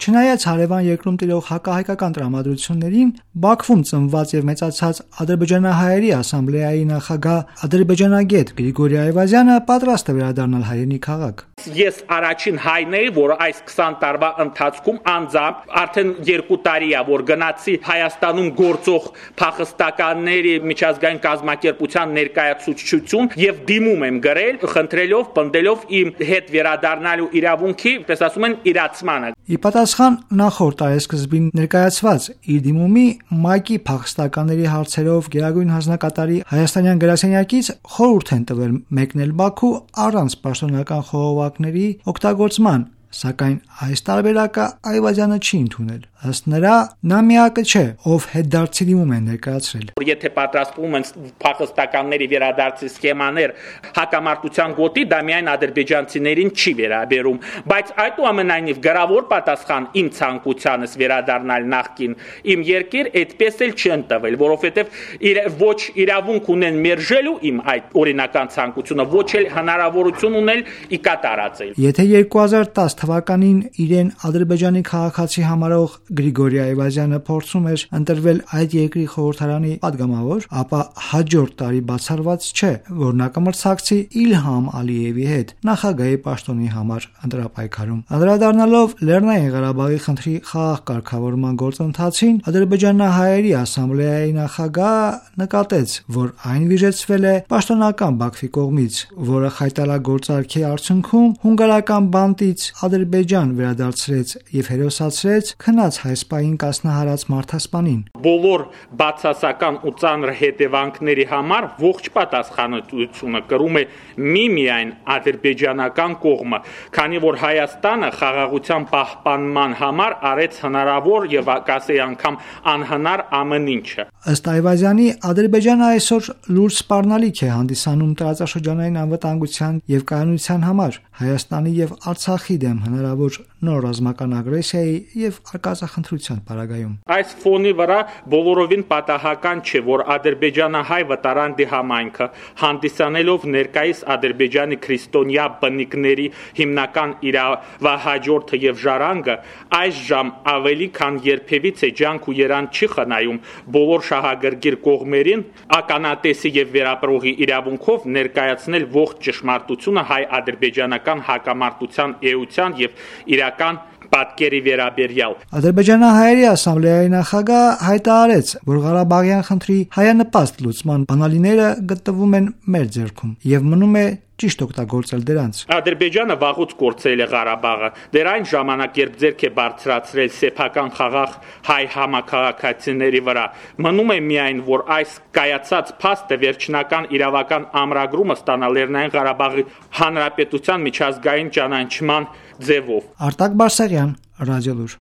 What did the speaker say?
Չնայած հարևան երկրում տիրող հակահայկական տրամադրություններին, Բաքվում ծնված եւ մեծացած ադրբեջանահայերի ասամբլեայի նախագահ ադրբեջանագետ Գրիգորի Այվազյանը պատրաստ է վերադառնալ հայրենի քաղաք։ Ես առաջին հայն էի, որ այս 20 տարվա ընթացքում անձամբ արդեն 2 տարի է, որ գնացի Հայաստանում գործող փախստականների միջազգային կազմակերպության ներկայացուցչություն եւ դիմում եմ գրել, խնդրելով, պնդելով իմ հետ վերադառնալու իրավունքի, պես ասում են, իրացմանը։ Ի պատասխան նախորդ տարեսկզբին ներկայացված իր դիմումի ՄԱԿ-ի փախստականների հարցերով գերագույն հանձնակատարի հայաստանյան գրասենյակից խորհուրդ են տվել մեկնել Բաքու առանց պաշտոնական խողովակների օգտագործման, սակայն այս տարբերակը Այվազյանը չի ընդունել։ Ըստ նրա, նա միակը չէ, ով հետդարձի դիմում է ներկայացրել։ Եթե պատրաստվում են փախստականների վերադարձի սխեմաներ հակամարտության գոտի, դա միայն ադրբեջանցիներին չի վերաբերում, բայց այդուամենայնիվ գրավոր պատասխան իմ ցանկությանս վերադառնալ նախկին իմ երկիր այդպես էլ չեն տվել, որովհետև ոչ իրավունք ունեն մերժելու իմ այդ օրինական ցանկությունը, ոչ էլ հնարավորություն ունել ի կատարածել։ Եթե 2010 թվականին իրեն Ադրբեջանի քաղաքացի համարող Գրիգորի Այվազյանը փորձում էր ընտրվել այդ երկրի խորհրդարանի падգամավոր, ապա հաջորդ տարի բացառված չէ, որ նա կմրցակցի Իլհամ Ալիևի հետ նախագահի պաշտոնի համար ընտրապայքարում։ Անդրադառնալով Լեռնային Ղարաբաղի խնդրի խաղաղ կարգավորման գործընթացին, ադրբեջանահայերի ասամբլեայի նախագահը նկատեց, որ այն վիժեցվել է պաշտոնական Բաքվի կողմից, որը խայտարագործարքի արդյունքում հունգարական բանտից Ադրբեջան վերադարձրեց եւ հերոսացրեց քնած հայսպային կասնահարած մարդասպանին։ Բոլոր բացասական ու ծանր հետևանքների համար ողջ պատասխանատվությունը կրում է միայն ադրբեջանական կողմը, քանի որ Հայաստանը խաղաղության պահպանման համար արեց հնարավոր եւ կասեի անգամ անհնար ամեն ինչը։ Ըստ Այվազյանի, Ադրբեջանը այսօր լուրջ սպառնալիք է հանդիսանում տարածաշրջանային անվտանգության եւ կայունության համար, Հայաստանի եւ Արցախի դեմ հնարավոր նոր ռազմական ագրեսիայի եւ արկածախնդրության պարագայում։ Այս ֆոնի վրա բոլորովին պատահական չէ, որ ադրբեջանահայ վտարանդի համայնքը հանդիսանելով ներկայիս Ադրբեջանի քրիստոնյա բնիկների հիմնական իրավահաջորդը եւ ժառանգը այժմ ավելի քան երբևիցե ջանք ու երանգ չի խնայում բոլոր շահագրգիռ կողմերին ականատեսի եւ վերապրողի իրավունքով ներկայացնել ողջ ճշմարտությունը հայ-ադրբեջանական հակամարտության էության եւ իրական պատկերի վերաբերյալ։ Ադրբեջանահայերի ասամբլեայի նախագահը հայտարարեց, որ Ղարաբաղյան խնդրի հայանպաստ լուծման բանալիները գտնվում են մեր ձեռքում եւ մնում է ճիշտ օգտագործել դրանց։ Ադրբեջանը վաղուց կորցրել է Ղարաբաղը։ Դեռ այն ժամանակ, երբ ձեռք է բարձրացրել սեփական խաղաղ հայ համակարգացիների վրա, մնում է միայն, որ այս կայացած փաստը վերջնական իրավական ամրագրումը ստանա Լեռնային Ղարաբաղի Հանրապետության միջազգային ճանաչման ձևով։ Արտակ Բարսեղյան, Ռադիոլուր։